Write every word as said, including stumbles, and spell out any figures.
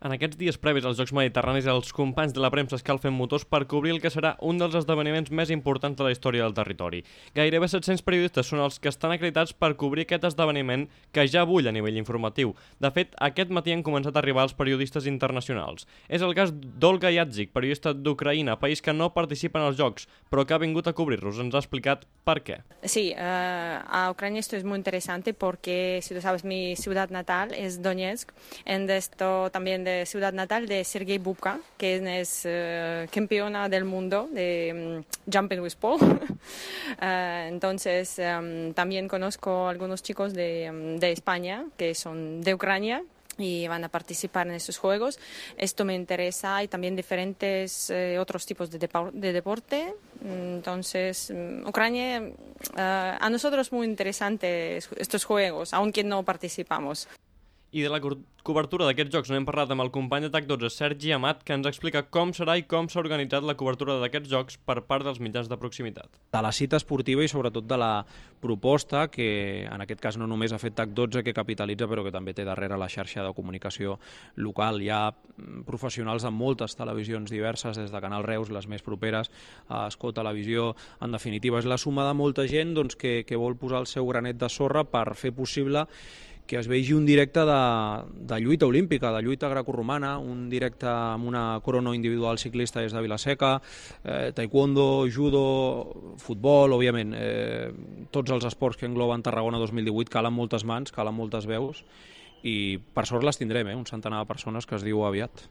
En aquests dies previs als Jocs Mediterranis, els companys de la premsa escalfen motors per cobrir el que serà un dels esdeveniments més importants de la història del territori. Gairebé set-cents periodistes són els que estan acreditats per cobrir aquest esdeveniment que ja bull a nivell informatiu. De fet, aquest matí han començat a arribar els periodistes internacionals. És el cas d'Olga Yadzik, periodista d'Ucraïna, país que no participa en els Jocs, però que ha vingut a cobrir-los. Ens ha explicat per què. Sí, uh, a Ucrania esto es muy interesante porque, si tú sabes, mi ciudad natal es Donetsk, en esto también de ciudad natal de Sergei Bubka, que es uh, campeona del mundo de um, Jumping with Paul. uh, entonces, um, también conozco algunos chicos de, um, de España que son de Ucrania y van a participar en estos juegos. Esto me interesa. Hay también diferentes eh, otros tipos de, depo de deporte. Entonces, Ucrania, uh, a nosotros muy interesantes estos juegos, aunque no participamos. I de la co cobertura d'aquests jocs n'hem parlat amb el company de TAC dotze, Sergi Amat, que ens explica com serà i com s'ha organitzat la cobertura d'aquests jocs per part dels mitjans de proximitat. De la cita esportiva i sobretot de la proposta que en aquest cas no només ha fet TAC dotze, que capitalitza, però que també té darrere la xarxa de comunicació local. Hi ha professionals de moltes televisions diverses, des de Canal Reus, les més properes, a Escó Televisió. En definitiva, és la suma de molta gent doncs, que, que vol posar el seu granet de sorra per fer possible que es vegi un directe de, de lluita olímpica, de lluita grecorromana, un directe amb una crono individual ciclista des de Vilaseca, eh, taekwondo, judo, futbol, òbviament, eh, tots els esports que engloben Tarragona dos mil divuit, calen moltes mans, calen moltes veus, i per sort les tindrem, eh, un centenar de persones que es diu aviat.